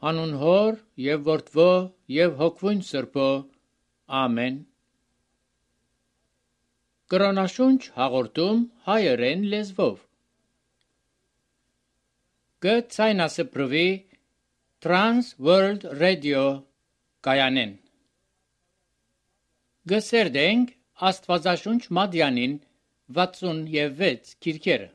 Անուն Հոր եւ Որդվո եւ Հոգվուն Սրբո։ Ամեն։ Կրոնաշունչ հաղորդում հայերեն լեզվով։ Գցայնասպրվի Trans World Radio կայանեն։ Գսերդենք Աստվածաշունչ Մադյանին 66 քիրքերը։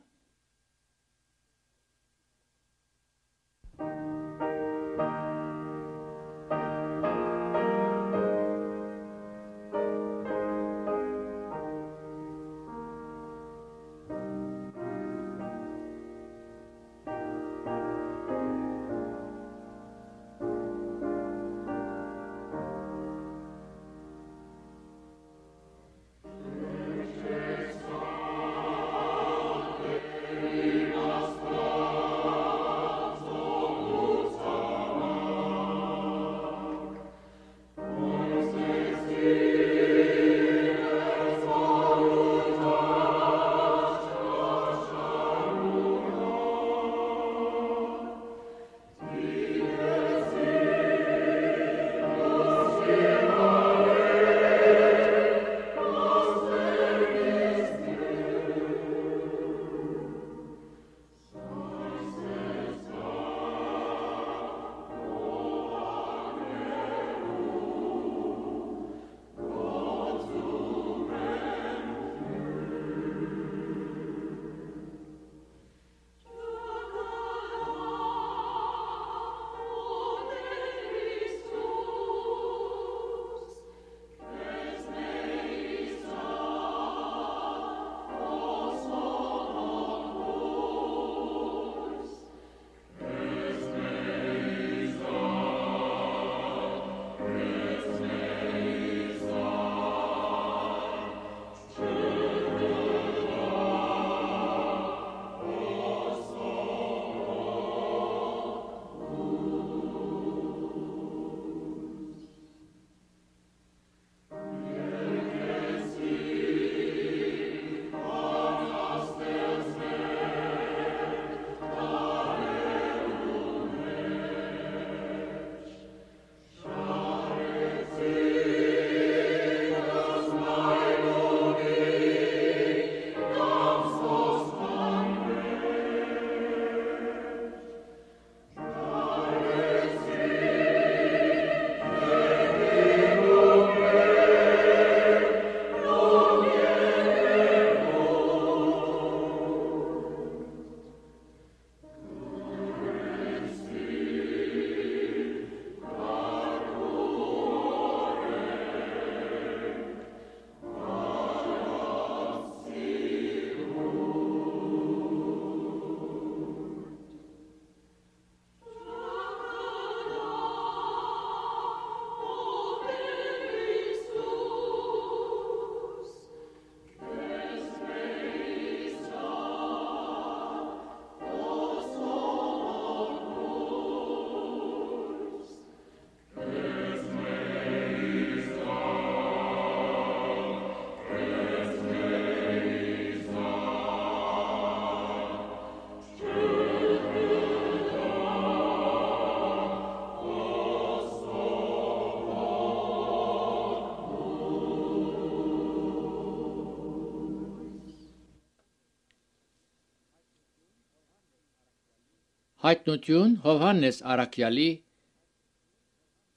Հայտնություն Հովհաննես Արաքյալի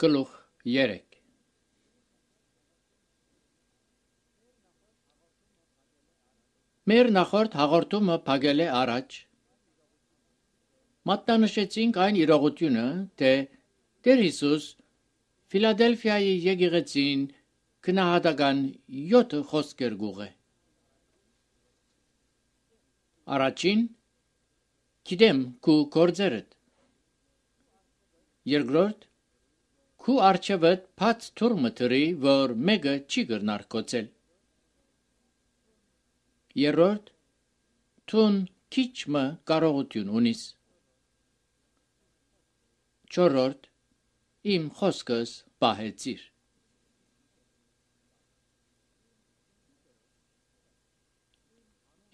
գլուխ 3։ Մեր նախորդ հաղորդումը փակել է առաջ։ Մատնանշեցինք այն իրողությունը, թե Տեր Հիսուս Ֆիլադելֆիայի եկեղեցին քնահատական 7 խոսքեր գուղ է։ Առաջին Գիտեմ քու գործերդ։ Երկրորդ քու արջևդ բաց թուր մտրի, որ մեկը չի գրնար կոծել։ Երրորդ թուն քիչ մը կարողություն ունիս։ Չորրորդ իմ խոսքս պահեցիր։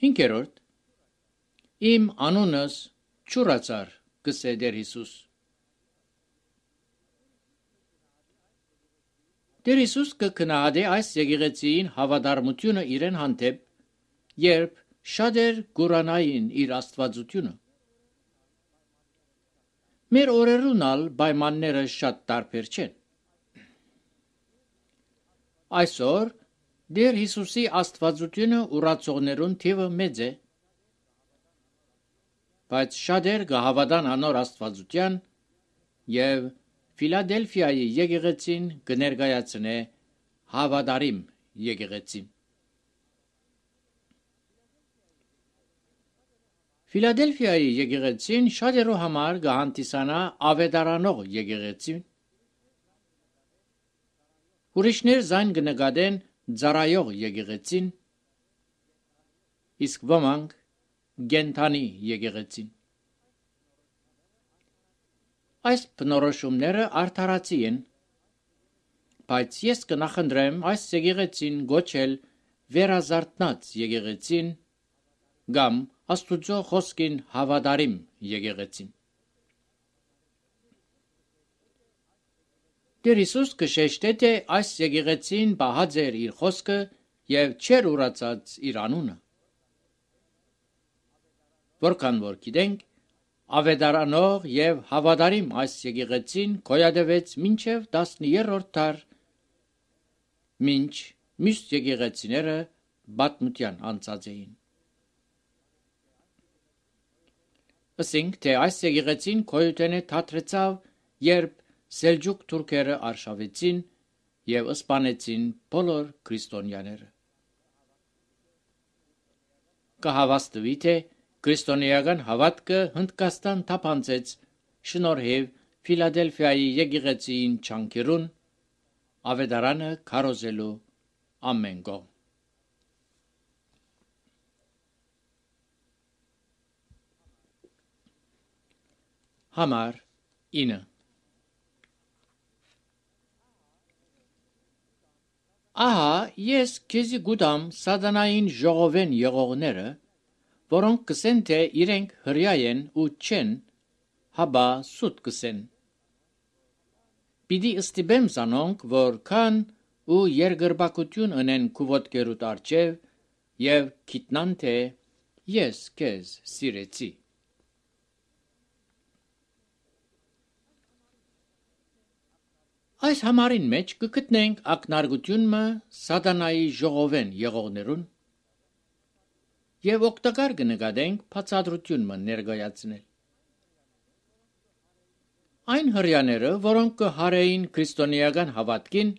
Հինգերորդ Իմ անունս չուրացար գսե Տեր Հիսուս։ Տեր Հիսուս կգնահատե այս եկեղեցին հավատարմությունը իրեն հանդեպ, երբ շատեր գուրանային իր աստվածությունը։ Մեր օրերուն ալ պայմանները շատ տարբեր չեն։ Այսօր Տեր Հիսուսի աստվածությունը ուրացողներուն թիվը մեծ է, բայց շատեր կհավատան անոր աստվածության եւ Ֆիլադելֆիայի եկեղեցին կներկայացնե հավատարիմ եկեղեցին։ Ֆիլադելֆիայի եկեղեցին շատերու համար կհանդիսանա ավետարանող եկեղեցին։ Ուրիշներ զայն կնկատեն ծառայող եկեղեցին, իսկ ոմանք գենթանի եկեղեցին։ Այս բնորոշումները արդարացի են, բայց ես կնախընտրեմ այս եկեղեցին գոչել վերազարթնած եկեղեցին կամ Աստուծո խոսքին հավատարիմ եկեղեցին։ Տեր Հիսուս կշեշտե, թե այս եկեղեցին պահած էր իր խոսքը եւ չեր ուրացած իր անունը։ Որքան որ գիտենք, ավետարանող եւ հավատարիմ այս եկեղեցին գոյատևեց մինչև 10-րդ դար, մինչ մյուս եկեղեցիները պատմության անցած էին։ Ասենք, թե այս եկեղեցին գոյութենե թատրեցավ, երբ Սելջուկ թուրքերը արշավեցին եւ սպանեցին բոլոր քրիստոնյաները։ Կհավաստվի, թե քրիստոնեական հավատքը Հնդկաստան թափանցեց շնորհիվ Ֆիլադելֆիայի եկեղեցին չանկերուն ավետարանը քարոզելու ամեն կողմ։ Համար 9 Ահա ես քեզի գուտամ սատանային ժողովեն եղողները, որոնք կսեն, թե իրենք հրյա են ու չեն, հաբա սուտ կսեն։ Պիտի ստիպեմ զանոնք, որ քան ու երկրպագություն ընեն քու ոտքերուդ առջև եւ գիտնան, թե ես քեզ սիրեցի։ Այս համարին մեջ կգտնենք ակնարկությունը սատանայի ժողովեն եղողներուն եւ օգտակար կնկատենք բացատրությունը ներկայացնել։ Այն հրյաները, որոնք կհարեին քրիստոնեական հավատքին,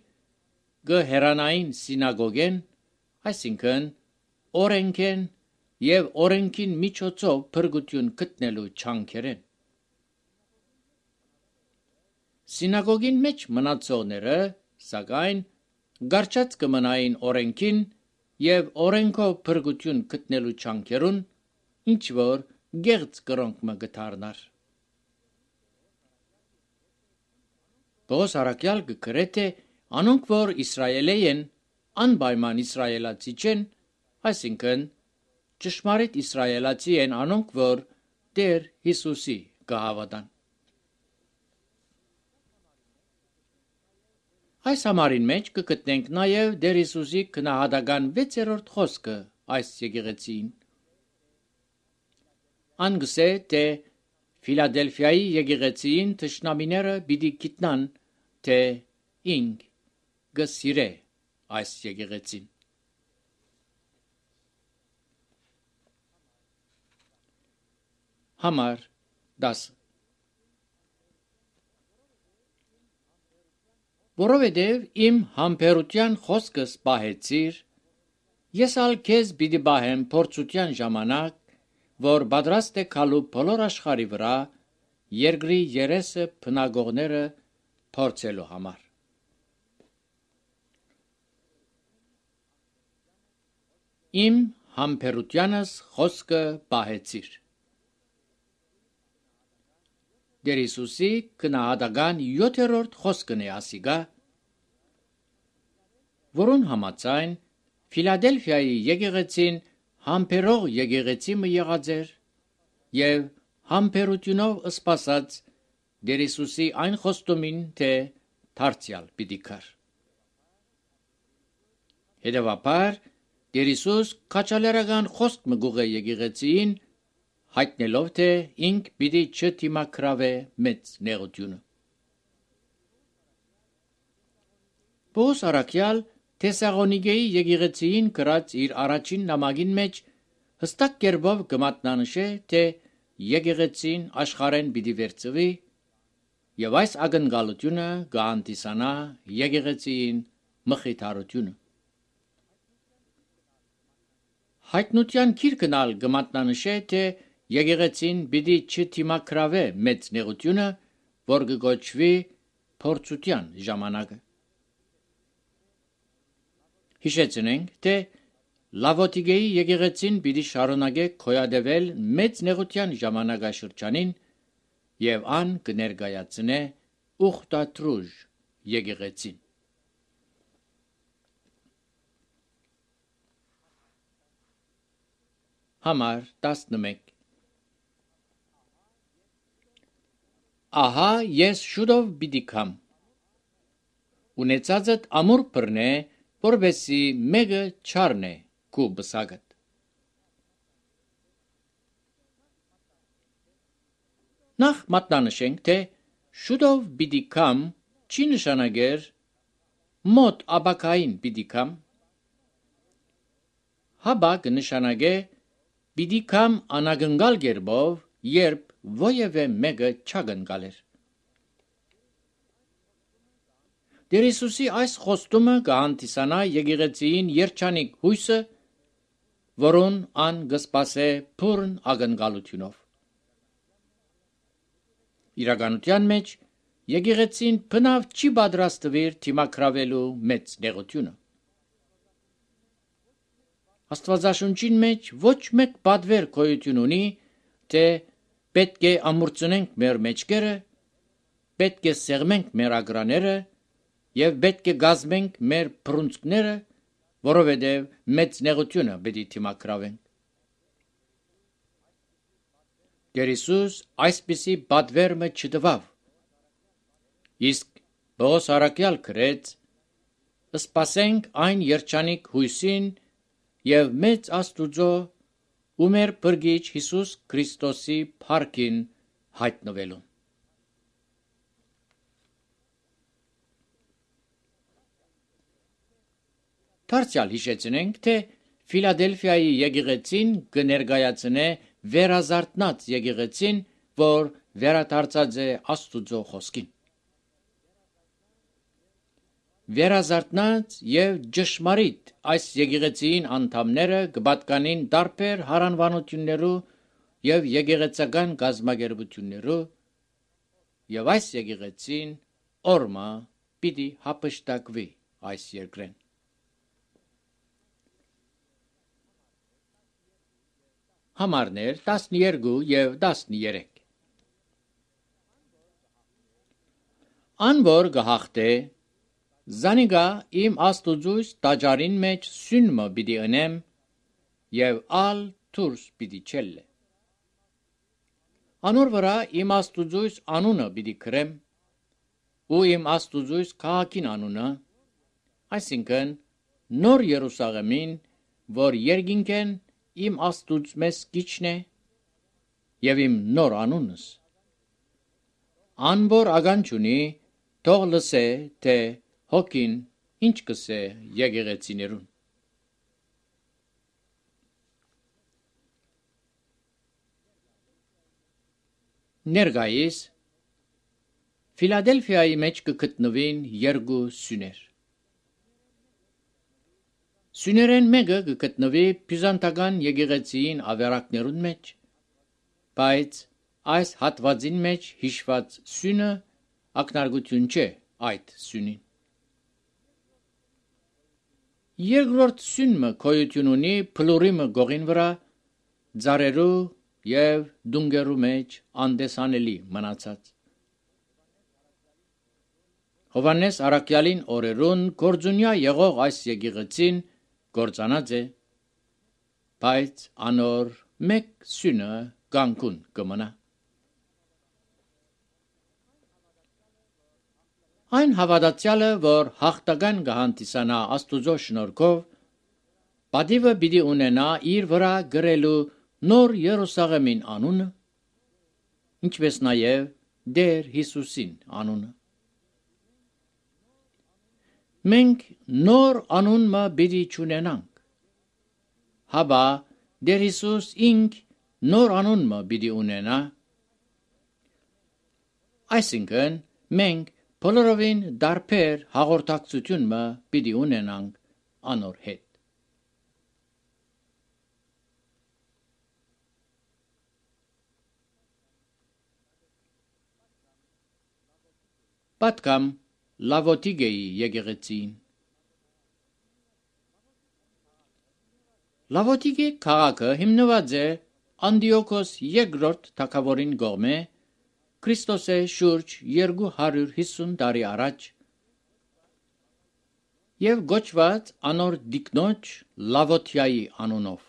կհերանային սինագոգեն, այսինքն օրենքեն եւ օրենքին միջոցով փրկություն գտնելու չանքերեն։ Սինագոգին մեջ մնացողները, սակայն, գարչած կմնային օրենքին եւ օրենքով փրկություն գտնելու չանքերուն, ինչ որ գեղձ կրոնք կդառնար։ Պողոս առաքյալ կգրե, թե անոնք, որ Իսրայելի են, անպայման իսրայելացի չեն, այսինքն ճշմարիտ իսրայելացի են անոնք, որ Տեր Հիսուսի կհավատան։ Այս համարին մեջ կգտնենք նաև Տեր Հիսուսի քնահատական 6-րդ խոսքը այս եկեղեցին։ Անգսե, թե Ֆիլադելֆիայի եկեղեցին թշնամիները պիտի գիտնան, թե ինք կսիրե այս եկեղեցին։ Համար 10 Որովհետև իմ համբերության խոսքս պահեցիր, ես ալ քեզ պիտի պահեմ փորձության ժամանակ, որ պատրաստ է քալու բոլոր աշխարհի վրա երկրի երեսը բնակողները փորձելու համար։ Իմ համբերությանս խոսքը պահեցիր։ Տեր Հիսուսի քնահատական 7-րդ խոսքն է ասիգա, որուն համաձայն Ֆիլադելֆիայի եկեղեցին համբերող եկեղեցի մը եղած էր եւ համբերությունով սպասած Տեր Հիսուսի այն խոստումին, թե դարձյալ պիտի կար։ Հետևաբար Տեր Հիսուս քաջալերական խոսք մը գուղե եկեղեցին հայտնելով թե ինք պիտի չդիմակրավե մեծ նեղությունը։ Պողոս առաքյալ Թեսաղոնիկեի եկեղեցին գրած իր առաջին նամակին մեջ հստակ կերպով կմատնանշե թե եկեղեցին աշխարհեն պիտի վերծվի եւ այս ակնկալությունը կհանդիսանա եկեղեցին մխիթարությունը։ Հայտնության գիրքն ալ կմատնանշե թե եկեղեցին պիտի չդիմակրավե մեծ նեղությունը, որ կգոչվի փորձության ժամանակը։ Հիշեցնենք, թե Լավոդիկեի եկեղեցին պիտի շարունակե քոյադևել մեծ նեղության ժամանակաշրջանին եւ ան կներկայացնե ուխտատրուժ եկեղեցին։ Համար 11 Ահա ես շուտով պիտի կամ ունեցածդ ամուր բռնե, որբեսի մեկը չառնե քու բսակդ։ Նախ մատնանշենք, թե շուտով պիտի կամ չի նշանակեր մոտ ապակային պիտի կամ, հաբա կնշանակե պիտի կամ անագնգալ գերբով, երբ ոևէ մեկը չագնգալեր։ Տեր Հիսուսի այս խոստումը կհանդիսանա եկեղեցիին երջանիկ հույսը, որուն ան կսպասե բուրն ակնկալությունով։ Իրականության մեջ եկեղեցին բնավ չի պատրաստվիր դիմակրավելու մեծ նեղությունը։ Աստվածաշունչին մեջ ոչ մեկ պատվեր գոյություն ունի, թե պետք է ամուրցնենք մեր մեջքերը, պետք է սեղմենք մեր ագրաները եւ պետք է գազմենք մեր բռունցքները, որովհետեւ մեծ նեղությունը պետք է դիմակրավենք։ Տեր Հիսուս այսպիսի պատվեր չտվավ։ Իսկ Պողոս առաքյալ գրեց. «Սպասենք այն երջանիկ հույսին եւ մեծ Աստուծո ու մեր Փրկիչ Հիսուս Քրիստոսի փառքին հայտնվելուն»։ Դարձյալ հիշեցնենք, թե Ֆիլադելֆիայի եկեղեցին կներկայացնե վերազարթնած եկեղեցին, որ վերադարձած է Աստուծո խոսքին։ Վերազարթնած եւ ճշմարիտ այս եկեղեցին անդամները կպատկանին տարբեր հարանվանություններու եւ եկեղեցական գազմագերբություններու եւ այս եկեղեցին օրմա պիտի հապշտակվի այս երկրեն։ Համարներ 12 եւ 13 Անոր գահախտե Զանիգա իմ Աստուծույս տաճարին մեջ սյունմը պիտի ընեմ եւ ալ դուրս պիտի չելլե։ Անոր վրա իմ Աստուծույս անունը պիտի գրեմ ու իմ Աստուծույս քաղաքին անունը, այսինքն նոր Երուսաղեմին, որ երկինքեն իմ Աստուծ մեզ կիչն է եւ իմ նոր անունս։ Անոր ագանչունի թող լսե, թե հոգին ինչ կսե եկեղեցիներուն։ Ներկայիս Ֆիլադելֆիայի մեջ կգտնվին երկու սյուներ։ Սյուներեն մեկը կգտնվի բյուզանդական եկեղեցիին ավերակներուն մեջ, բայց այս հատվածին մեջ հիշված սյունը ակնարկություն չէ այդ սյունին։ Երկրորդ սյունը գոյություն ունի փլուրիմը գողին վրա, ձարերու եւ դունգերու մեջ անդեսանելի մնացած։ Հովհաննես առաքյալին օրերուն գործունյա եղող այս եկեղեցին գործանած է, բայց անոր մեկ սյունը կանգուն կմնա։ Այն հավատացյալը, որ հաղթական կհանդիսանա Աստուծո շնորհքով, պատիվը պիտի ունենա իր վրա գրելու նոր Երուսաղեմին անունը, ինչպես նաև Տեր Հիսուսին անունը։ Մենք նոր անունը պիտի չունենանք, հաբա Տեր Հիսուս ինք նոր անունը պիտի ունենա, այսինքն մենք բոլորովին դարբեր հաղորդակցությունը պիտի ունենանք անոր հետ։ Պատկամ Լավոտիկեի եկեղեցին։ Լավոտիկե քաղաքը հիմնված է Անդիոքոս II թագավորին կողմէ Քրիստոսե շուրջ 250 տարի առաջ եւ գոչված անոր դիկնոջ Լավոտիայի անունով։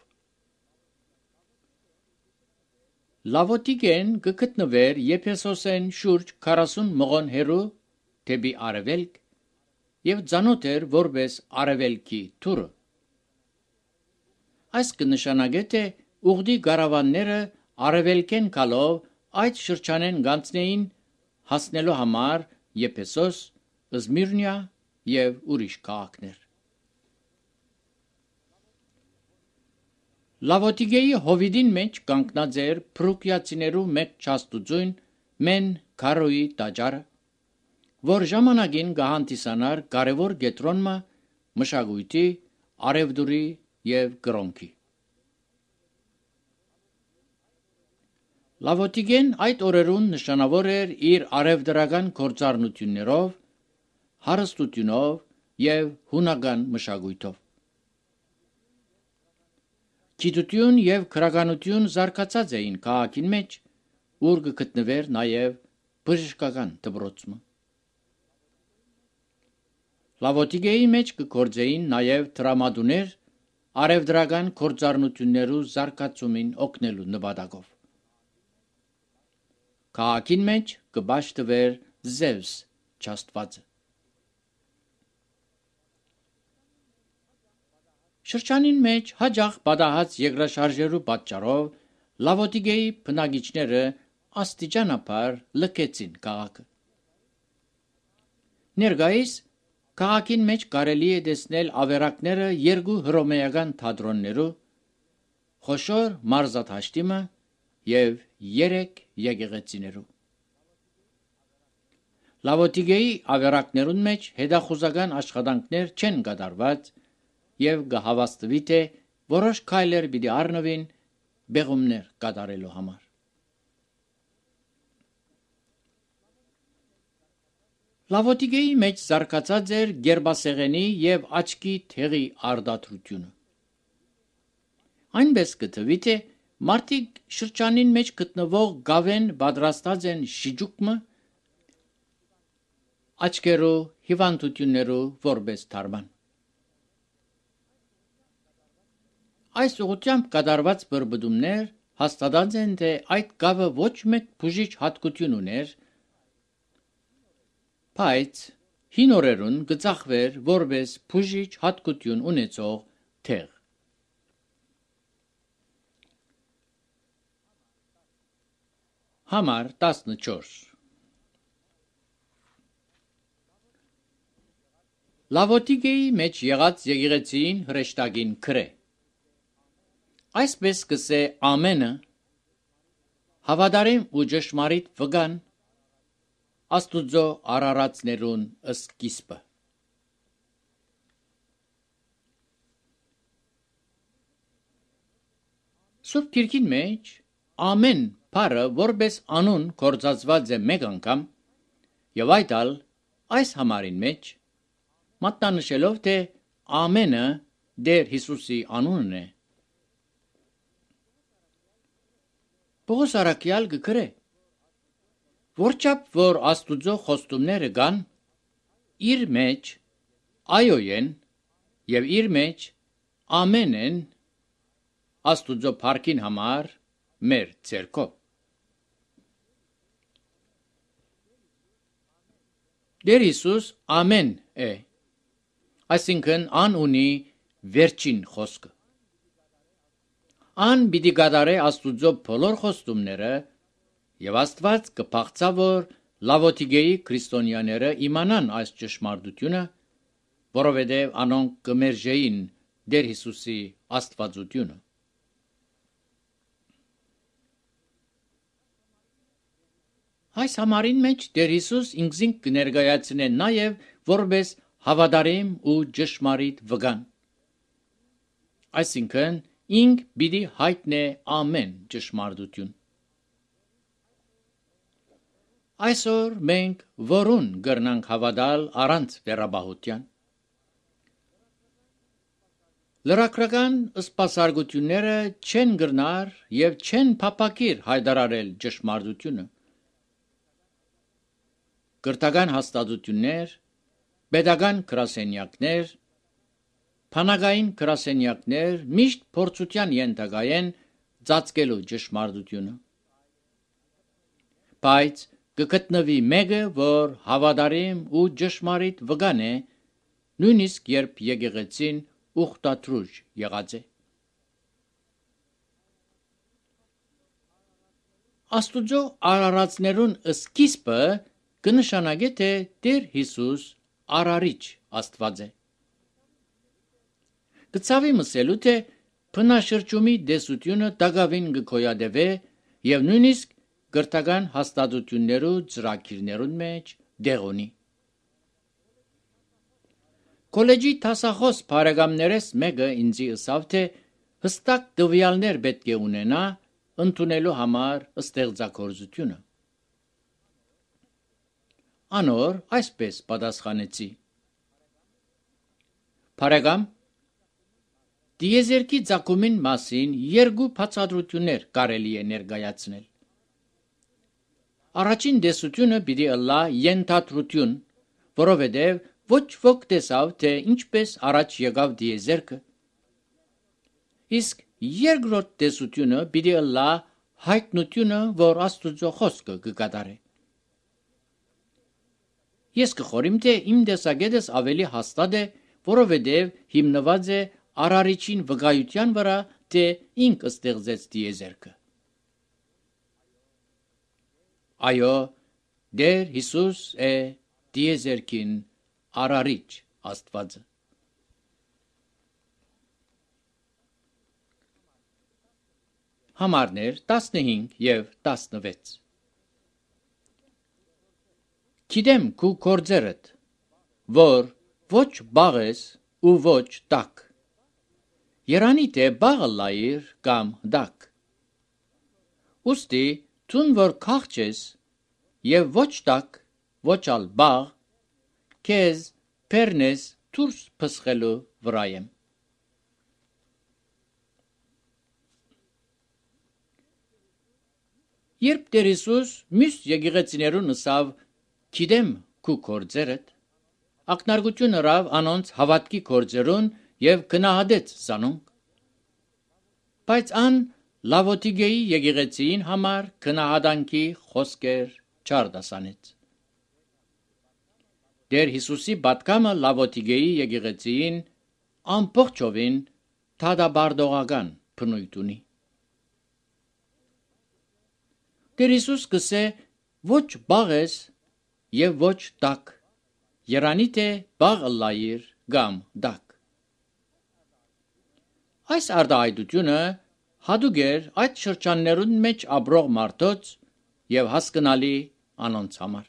Լավոտիկեն կգտնվեր Եփեսոսեն շուրջ 40 մղոն հեռու դեպի արևելք եւ ծանոթ էր որպես արևելքի թուրը։ Այս կնշանակե թե ուղդի գարավանները արևելքեն գալով այդ շրջանեն գանցնեին հասնելու համար Եփեսոս, Զմիրնիա եւ ուրիշ քաղաքներ։ Լավոտիկեի հովիդին մեջ կանգնած էր փրուկիացիներու մեկ չաստուծույն Մեն Քարոյի տաճարը, որ ժամանակին կհանդիսանար կարևոր կետրոնը մշակույթի, արևդուրի եւ կրոնքի։ Լավոտիկեն այդ օրերուն նշանավոր էր իր արևդրական գործառնություններով, հարստությունով եւ հունական մշակույթով։ Գիտություն եւ քրագանություն զարգացած էին քաղաքին մեջ, ուր կգտնվեր նաեւ բժշկական դպրոցը։ Լավոտիկեի մեջ կգործեին նաեւ դրամատուներ արևդրական գործառնություններու զարգացումին օգնելու նպատակով։ Քաղաքին մեջ կպաշտվեր Զևս չաստվածը։ Շրջանին մեջ հաջող պատահած երկրաշարժերու պատճառով Լավոտիկեի բնակիչները աստիճանաբար լքեցին քաղաքը։ Ներկայիս քաղաքին մեջ կարելի է տեսնել ավերակները երկու հռոմեական թատրոններու, խոշոր մարզադաշտիմը եւ 3 եկեղեցիներու։ Լավոտիկեի ավերակներուն մեջ հետախուզական աշխատանքներ չեն կատարված եւ կհավաստվի թե որոշ քայլեր պիտի առնվին բեղումներ կատարելու համար։ Լավոտիկեի մեջ զարգացած էր գերբասեղենի եւ աչքի թեղի արդարությունը։ Այնպես կթվի թե մարդիկ շրջանին մեջ գտնվող գավեն պատրաստած են շիճուկը աչքերու հիվանդություններու որպես թարման։ Այս ուղղությամբ կատարված բրբդումներ հաստատած են թե այդ գավը ոչ մեկ բուժիչ հատկություն ուներ, բայց հին օրերուն կծախվեր որպես բուժիչ հատկություն ունեցող թեղ։ Համար 14 Լավոտիկեի մեջ եղած եկեղեցին հրեշտակին քրե։ Այսպես կսե ամենը հավատարիմ ու ճշմարիտ վգան Աստուծո արարածներուն սկիզբը։ Սուրբ Գիրքին մեջ ամեն բառը որպես անուն կործածված է մեկ անգամ եւ այդ ալ այս համարին մեջ մատնանշելով թե ամենը Տեր Հիսուսի անունն է։ Պողոս առաքյալ կգրե. Որչափ որ Աստուծո խոստումները կան, իր մեջ այոյեն եւ իր մեջ ամեն են Աստուծո փառքին համար մեր ցերկով։ Դեր Հիսուս ամեն է, այսինքն ան ունի վերջին խոսքը։ Ան պիտի գադարե Աստուծո բոլոր խոստումները եւ Աստված կփախցա, որ Լավոթիգեի քրիստոնյաները իմանան այս ճշմարտությունը, որովհետեւ անոնք կմերժեին Դեր Հիսուսի աստվածությունը։ Այս համարին մեջ Տեր Հիսուս ինքզին կներկայացնե նաև որպես հավատարիմ ու ճշմարիտ վգան։ Այսինքն ինք պիտի հայտնե ամեն ճշմարտություն։ Այսօր մենք որուն գրնանք հավատալ առանց վերաբահության։ Լրակրական սպասարկությունները չեն գրնար եւ չեն փապակիր հայտարարել ճշմարտությունը։ Կրթական հաստատություններ, pedagogan գրասենյակներ, փանագային գրասենյակներ միշտ փորձության ենթակա են ծածկելու ճշմարտությունը։ Բայց կգտնվի մեկը, որ հավատարիմ ու ճշմարիտ վգան է, նույնիսկ երբ եկեղեցին ուխտաթրուժ եղած է։ Աստուծո արարածներուն սկիզբը կնշանակե, թե Տեր Հիսուս արարիչ Աստված է։ Կցավի մսելու, թե փնաշրջումի դեսությունը դակավին կգոյատևե եւ նույնիսկ կրթական հաստատություններու ծրագիրներուն մեջ դեղ ունի։ Կոլեջի տասախոս բարեկամներես մեկը ինձի ըսավ, թե հստակ տվյալներ պետք է ունենա ընդունելու համար ստեղծագործությունը։ Անոր այսպես պատասխանեցի. Բարեկամ, դիեզերքի ցակումին մասին երկու բացատրություններ կարելի է ներկայացնել։ Առաջին դեսությունը պիտի ըլլա ենթադրություն, որովհետև ոչ ոք տեսավ, թե ինչպես առաջ եկավ դիեզերքը։ Իսկ երկրորդ դեսությունը պիտի ըլլա հայտնությունը, որ Աստուծո խոսքը կկատարե։ Ես կխորիմ, թե իմ տեսակետս ավելի հաստատ է, որովհետև հիմնված է արարիչին վկայության վրա, թե ինք ստեղծեց դիեզերքը։ Այո, Դեր Հիսուս է դիեզերքին արարիչ Աստվածը։ Համարներ 15 եւ 16 Գիտեմ քու գործերդ, որ ոչ բաղ ես ու ոչ տակ։ Երանի թե բաղը լայր կամ դակ։ Ուստի տուն որ քաղջ ես եւ ոչ տակ, ոչ ալ բաղ, քեզ պերնես դուրս փսխելու վրա եմ։ Երբ Տեր Հիսուս մյուս եկեղեցիներուն ըսավ գիտեմ քու գործերդ, ակնարկություն հրավ անոնց հավատքի գործերուն եւ գնահատեց զանոնք։ Բայց ան Լավոթիգեի եկեղեցին համար գնահատանքի խոսքեր չարդասանեց։ Դեր Հիսուսի պատկամը Լավոթիգեի եկեղեցին ամբողջովին թադաբարդողական բնույթ ունի։ Տեր Հիսուս կսե ոչ բաղ ես եւ ոչ տակ, երանի թե բաղ լայր կամ դակ։ Այս արտահայտությունը հատուկ էր այդ շրջաններուն մեջ ապրող մարդոց եւ հասկանալի անոնց համար։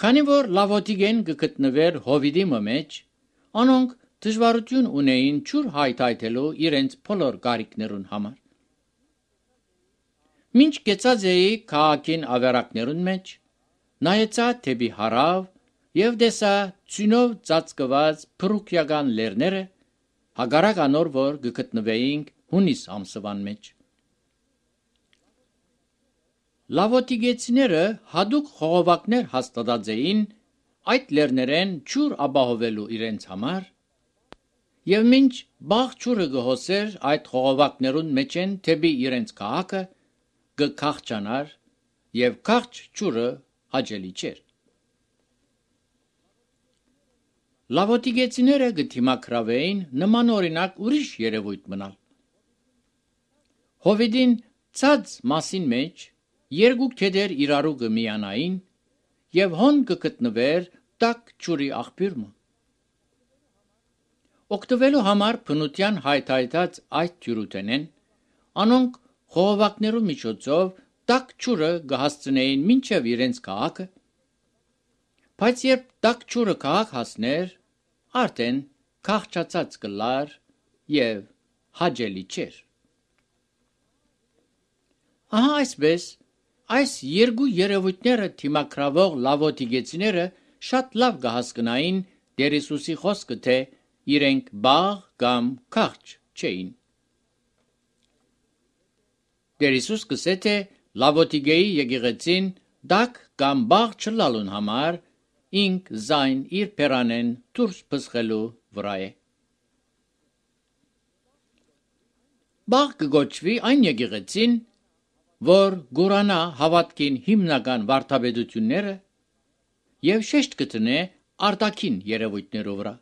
Քանի որ Լավոթիգեն կգտնվեր Հովիդի մեջ, անոնք դժվարություն ունեին ջուր հայթայթելու իրենց բոլոր կարիքներուն համար։ Մինչ կեցած էի քաղաքին ավերակներուն մեջ, նայեցա թեպի հարավ եւ տեսա ծյունով ծածկված փրուկյական լերները, հագարակ անոր որ կգտնվեինք հունիս ամսվան մեջ։ Լավոթիգեցիները հadouk խողովակներ հաստատած էին այդ լերներեն ջուր ապահովելու իրենց համար, եւ մինչ բաղ ջուրը գհոսեր այդ խողովակներուն մեջ են թեպի իրենց քաղաքը կքաղճանար եւ քաղճ ջուրը հաջելի չէր։ լավոտիգեցիները գտիմակրավեին նման օրինակ ուրիշ երևույթ մնալ։ Հովիդին ցած մասին մեջ երկու քեդեր իրարու գմիանային եւ հոն կգտնվեր տակ ճուրի աղբյուրը։ Օգտվելու համար բնության հայթայթած այդ թյուրութենեն անոնք խողովակներու միջոցով տակ ճուրը կհասցնեին մինչև իրենց քաղաքը, բայց երբ տակ ճուրը քաղաք հասներ, արդեն քաղճացած կլար եւ հաջելի չէր։ Ահա այսպես այս երկու երևույթները թիմակրավող լավոտիգեցիները շատ լավ կհասկնային Տեր Հիսուսի խոսքը, թե իրենք բաղ կամ քաղճ չէին։ Տեր Հիսուս կսե թե լավոտիգեի եկեղեցին դակ կամ բաղ չլալուն համար ինք զայն իր պերանեն դուրս բսխելու վրա է։ Բաղ կգոչվի այն եկեղեցին, որ գուրանա հավատքին հիմնական վարդապետությունները եւ շեշտ կտնե արտաքին երևույթներով վրա։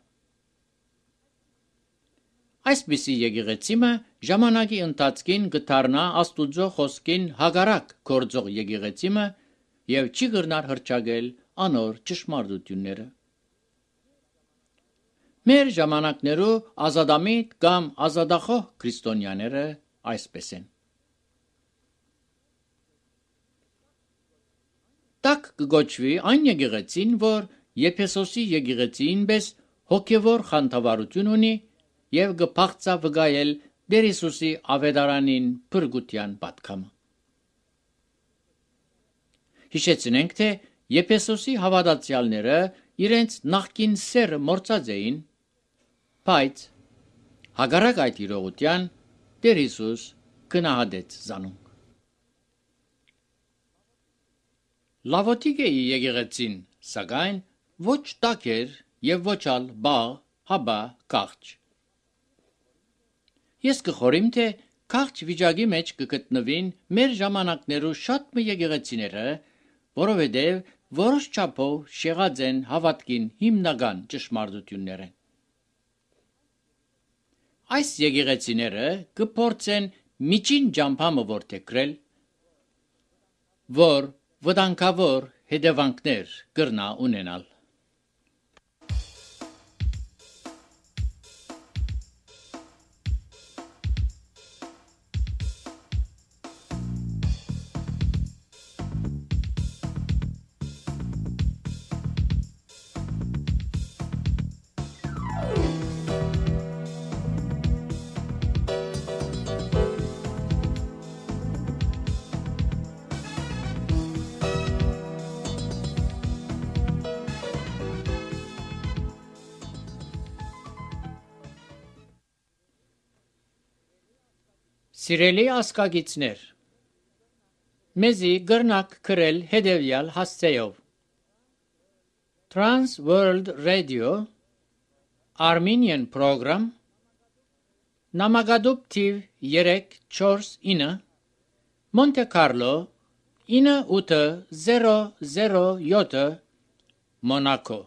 Այսպիսի եկեղեցիմը ժամանակի ընթացքին կդառնա Աստուծո խոսքին հագարակ գործող եկեղեցիմը եւ չի կրնար հրճագել անոր ճշմարտությունները։ Մեր ժամանակներու ազադամիտ կամ ազադախոհ քրիստոնյաները այսպես են։ Տակ կգոչվի այն եկեղեցին, որ Եփեսոսի եկեղեցին պես հոգևոր խանդավառություն ունի եւ կփախծա վգայել Տեր Հիսուսի ավետարանին փրկության պատկամը։ Հիշեցնենք, թե Եփեսոսի հավատացյալները իրենց նախկին սերը մորցած էին, բայց հակառակ այդ իրողության Տեր Հիսուս գնահատեց զանոնք։ Լավոտիգեի եկեղեցին, սակայն, ոչ տաք էր եւ ոչ ալ բաղ, հաբա քաղճ։ Ես կխորիմ, թե քաղճ վիճակի մեջ կգտնվին մեր ժամանակներու շատ մը եկեղեցիները, որովհետեւ որոշ չափով շեղած են հավատքին հիմնական ճշմարտությունները։ Այս եկեղեցիները կփորձեն միջին ջամփամը որթեքրել, որ վտանգավոր հետևանքներ կրնա ունենալ։ Սիրելի ասկագիցներ, մեզի գրնակ գրել հետևյալ հասցեով. Trans World Radio Armenian Program Նամակադուպ թիվ 349 Monte Carlo 9807 Monaco